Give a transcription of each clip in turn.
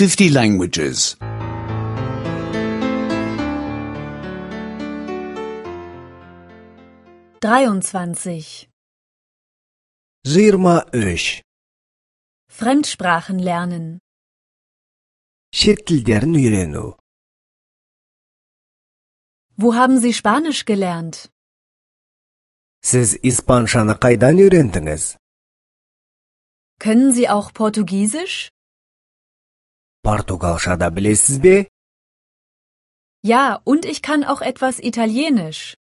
50 languages. 23. 23. Fremdsprachen lernen. Шет тілдерін үйрену. Wo haben Sie Spanisch gelernt? Сіз испаншаны қайдан үйрендіңіз? Können Sie auch Portugiesisch? Португалша да білесіз бе? Ja, und ich kann auch etwas Italienisch.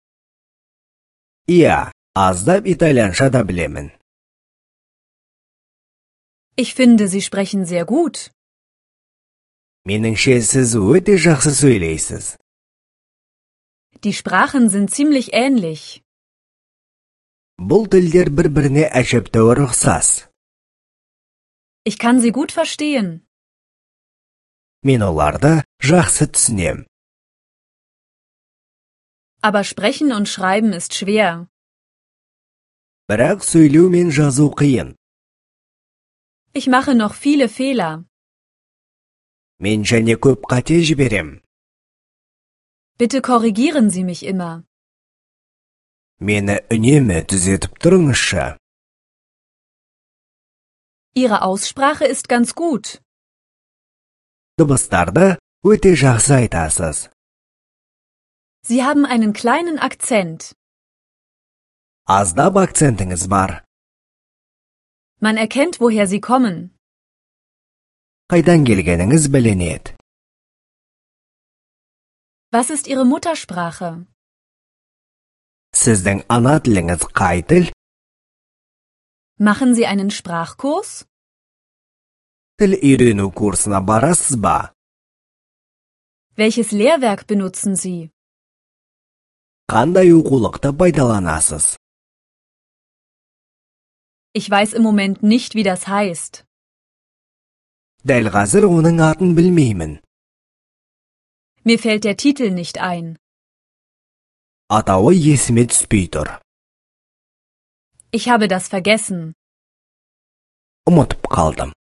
Иә, аздап итальянша да білемін. Ich finde, Sie sprechen sehr gut. Меніңше, сіз өте жақсы сөйлейсіз. Die Sprachen sind ziemlich ähnlich. Бұл тілдер бір-біріне әжептәуір ұқсас. Ich kann sie gut verstehen. Мен оларды жақсы түсінем. Aber sprechen und schreiben ist schwer. Бірақ сөйлеу мен жазу қиын. Ich mache noch viele Fehler. Мен және көп қате жіберем. Bitte korrigieren Sie mich immer. Мені үнемі түзетіп тұрыңызшы. Ihre Aussprache ist ganz gut. Дыбыстарды өте жақсы айтасыз. Sie haben einen kleinen Akzent. Аздап акцентіңіз бар. Man erkennt, woher Sie kommen. Қайдан келгеніңіз білінеді. Was ist Ihre Muttersprache? Сіздің ана тіліңіз қай тіл? Machen Sie einen Sprachkurs? Тіл үйрену курсына барасыз ба? Welches Lehrwerk benutzen Sie? Қандай оқулықты пайдаланасыз? Ich weiß im Moment nicht, wie das heißt. Дәл қазір оның атын білмеймін. Mir fällt der Titel nicht ein. Атауы есіме түспей тұр. Ich habe das vergessen. Ұмытып қалдым.